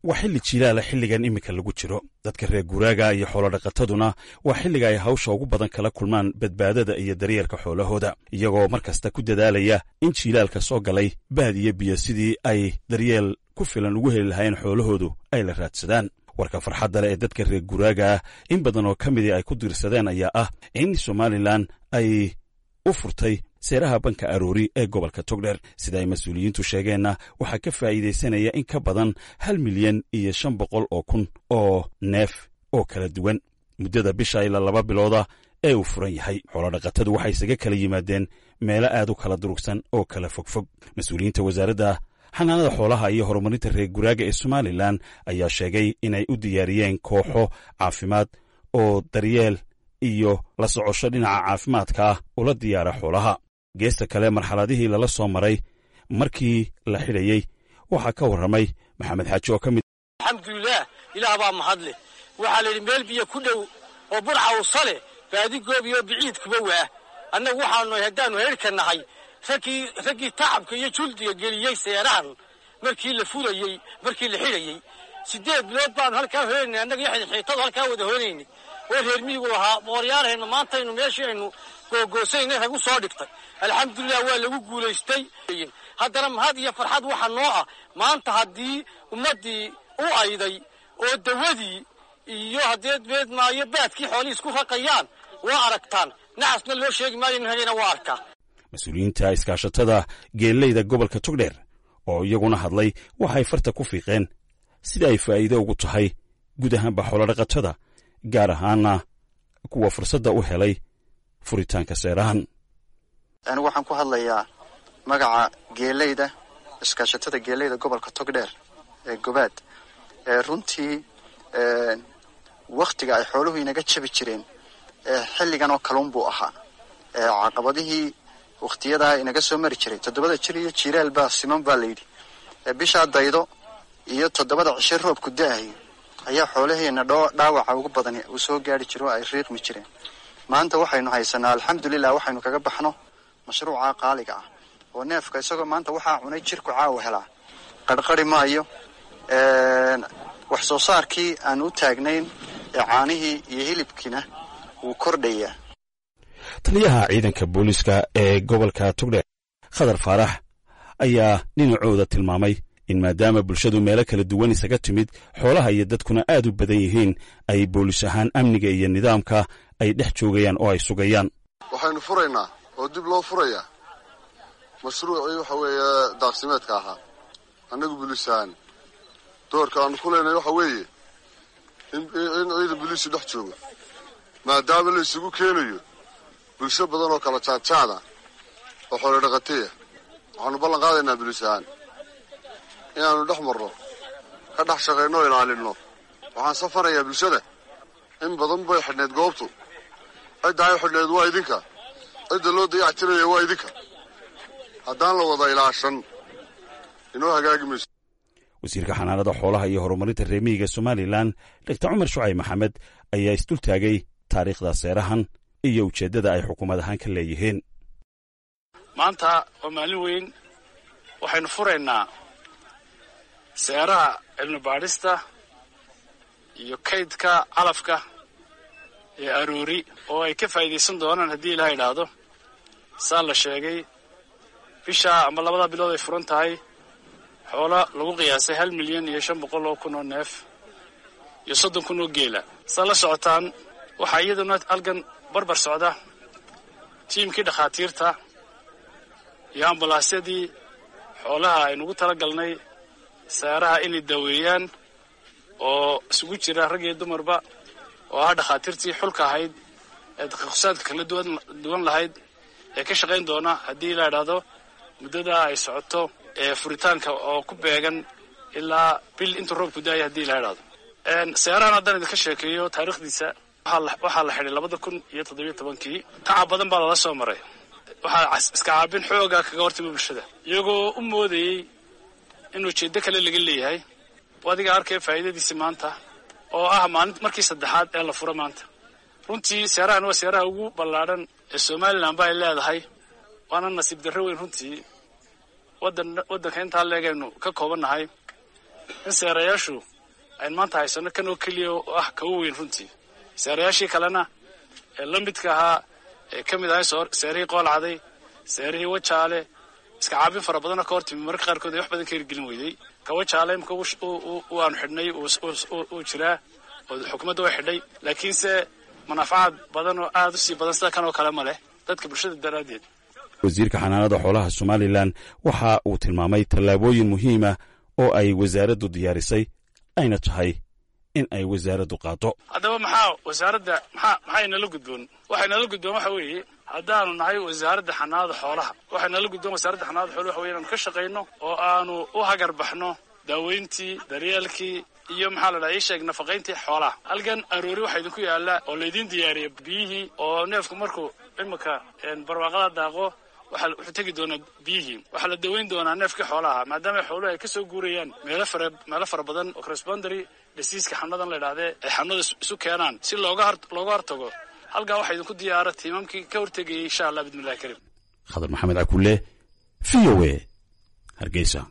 Waa xilli jiilaala xilligan iminka lagu jiro. Dadka reer guuraaga iyo xoolodhaqataduna waa xilliga ay hawsha ugu badan kala kulmaan badbaadada iyo daryeelka xoolahooda, iyagoo mar kasta ku dadaalaya in jiilaalka soo galay baad iyo biyo sidii ay daryeel ku filan ugu heli lahaayeen xoolahoodu ay la raadsadaan. Warka farxadda leh ee dadka reer guuraaga ah in badan oo ka midii ay ku diirsadeen ayaa ah in Somalilan ay u furtay seeraha banka Aroori ee gobolka Togdheer. Sida ay mas-uuliyiintu sheegeenna, waxaa ka faa'iidaysanaya in ka badan 1,500,000 oo neef oo kala duwan muddada bisha ilaa 2 bilooda ee uu furan yahay. Xoolodhaqatadu waxay isaga kala yimaadeen meelo aad u kala durugsan oo kala fogfog. Mas-uuliyiinta Wasaaradda Xanaanada Xoolaha iyo Horumarinta Reer Guraaga ee Somalilan ayaa sheegay inay u diyaariyeen kooxo caafimaad oo daryeel iyo la socosho dhinaca caafimaadka ah ula diyaara xoolaha. Geesta kale, marxaladihii lala soo maray markii la xidhayey waxaa ka warramay Maxamed Xaaji oo ka mid Alxamdulilaah, Ilaah baa mahadleh. Waxaa la yidhi meel biyo ku dhow oo burcawsa leh baadigoob iyo biciid kuba waa. Annagu waxaanu haddaannu heerka nahay raggii tacabka iyo juldiga geliyey seerahan markii la furayey, markii la xidhayey. 8 bilood baanu halkaa hoynaynay annaga iyo xidxiitadu halkaa wada hoynaynay oo reer miyigu lahaa mooryaarhayno. Maantaynu meeshii aynu googoosaynay rag u soo dhigtay. Alxamdulilah, waa lagu guulaystay. Haddana mahad iyo farxad waxa noo ah maanta haddii ummaddii u ayday oo dawadii iyo haddee beedmaayo baadkii xoolihii isku raqayaan. Waa aragtaan, nacasna loo sheegi maayo, nin hagayna waa arkaa. Mas-uuliyiinta iskaashatada geelleyda gobolka Togdheer oo iyaguna hadlay waxay farta ku fiiqeen sida ay faa'iido ugu tahay guud ahaanba xoolodhaqatada, gaar ahaana kuwa fursadda u helay furitaanka seerahan. Anigu waxaan ku hadlayaa magaca geeleyda, iskaashatada geeleyda gobolka Togdheer ee Gobaad. Runtii waktiga ay xooluhu inaga jabi jireen xilligan oo kaluun buu ahaa. Caqabadihii wakhtiyadaa inaga soo mari jiray, toddobada jir iyo jiiraal baa siman baa layidhi. Bishaa daydo iyo 7da cishe roobku da-ayo ayaa xoolaheena dhaawaca ugu badan uu soo gaari jiro oo ay riiqmi jireen. Maanta waxaynu haysanaa, alxamdulilah, waxaynu kaga baxno mashruuca qaaliga ah oo neefka isagoo maanta waxaa cunay jirku caawa helaa qarqari maayo. Wax soo saarkii aan u taagnayn ee caanihii iyo hilibkiina wuu kordhayaa. Taliyaha ciidanka booliiska ee gobolka Togdheer, Khadar Faarax, ayaa dhinacooda tilmaamay in maadaama bulshadu meelo kala duwan isaga timid, xoolaha iyo dadkuna aad u badan yihiin, ay boolis ahaan amniga iyo nidaamka ay dhex joogayaan oo ay sugayaan. Waxaynu furaynaa oo dib loo furayaa mashruucii waxa weeye daaqsimeedka ahaa. Annagu booliis ahaan doorka aanu ku leenahay waxa weeye in ciidan booliisu dhex joogo, maadaama la isugu keenayo bulsho badan oo kala jaadjaada oo xoolo dhaqataya. Waxaanu ballan qaadaynaa booliis ahaan inaanu dhex marno, ka dhex shaqayno o ilaalinno. Waxaan safarayaa bulshada. In badan bay xidhnayd goobtu. Cidda ay xidhnayd waa idinka, cidda loo dayactiraya waa idinka. Haddaan la wada ilaashan, inoo hagaagi mayso. Wasiirka Xanaanada Xoolaha iyo Horumarinta Reer Miyiga Somalilan, Doctor Cumar Shucayb Maxamed, ayaa isdultaagay taariikhda seerahan iyo ujeeddada ay xukuumad ahaan ka leeyihiin. Maanta waa maalin weyn. Waxaynu furaynaa seeraha cilmi baadhista iyo kaydka calafka ee Aroori oo ay ka faa'iidaysan doonaan, haddii Ilaha idhaahdo, saa la sheegay, bisha ama labada bilood ay furan tahay xoolo lagu qiyaasay 1,500,000 oo neef iyo 30,000 oo geela. Saa la socotaan, waxaa iyaduna halkan barbar socda tiimkii dhakhaatiirta iyo ambalaasyadii xoolaha aynugu tala galnay seeraha inay daweeyaan oo isugu jira rag iyo dumarba, oo ah dhakhaatiirtii xulka ahayd ee takhaqusaadka kala duwan lahayd ee ka shaqayn doona, haddii la idhaahdo, muddada ay socoto ee furitaanka oo ku beegan ilaa bil intuu roobku daaya, haddii la idhaahdo. Seerahan haddaan idinka sheekeeyo taariikhdiisa, waxaa la xidhay 2017-kii. Tacab badan baa lala soo maray. Waxaa iska caabin xooga kaga hortimi bulshada, iyagoo u moodayey in ujeeddo kale laga leeyahay. Adiga arkaya faa'iidadiisi maanta oo ah maalin markii saddexaad ee la furo maanta. Runtii seerahan waa seeraha ugu ballaadhan ee Somalilan ba ay leedahay, waana nasiib darro weyn runtii waddan waddanka intaa leegaynu ka koobannahay. In seerayaashu aynu maanta haysano kan oo keliya oo ah kagu weyn runtii, seerayaashii kalena ee la midka ahaa ee ka mid ahay seerihii Qoolcaday, seerihii Wajaale, iska caabin fara badanoo ka hortimi mararka qaarkood ay wax badan ka hirgelin weyday. Ka Wajaale imika aanu xidhnay uu jiraa oo xukuumadda way xidhay, laakiinse manaafacaad badan oo aada u sii badan sida kan oo kale ma leh dadka bulshada daraaddeed. Wasiirka xanaanada xoolaha Somalilan waxa uu tilmaamay tallaabooyin muhiima oo ay wasaaraddu diyaarisay, ayna tahay in ay wasaaraddu qaado. Haddaba maxaa wasaaradda maxaa inala gudboon? Waxay nala gudboon waxa weeye, haddaanu nahay Wasaaradda Xanaanada Xoolaha, waxay nala gudboon Wasaaradda Xanaanada Xoolaha waxa weye inaanu ka shaqayno oo aanu u hagar baxno daaweyntii, daryeelkii iyo, maxaa la dhaha, ii sheeg, nafaqayntii xoolaha. Halkan aroori waxaa idinku yaalla oo laydin diyaariyay biyihii, oo neefku markuu imika barwaaqada daaqo waxa wuxuu tegi doonaa biyihii. Waxaa la daweyn doonaa neefkii xoolaha, maadaama xooluhu ay kasoo guurayaan meelo fara badan oo cross-boundary diseaseka xanuunadan la idhahdee ay xanuunada isu keenaan, si looga hortago. Halkaa waxaa idinku diyaara tiimamkii ka hortegayay, insha Allah, bismillahi karim. Khadar Maxamed Cakulle, VOA, Hargeysa.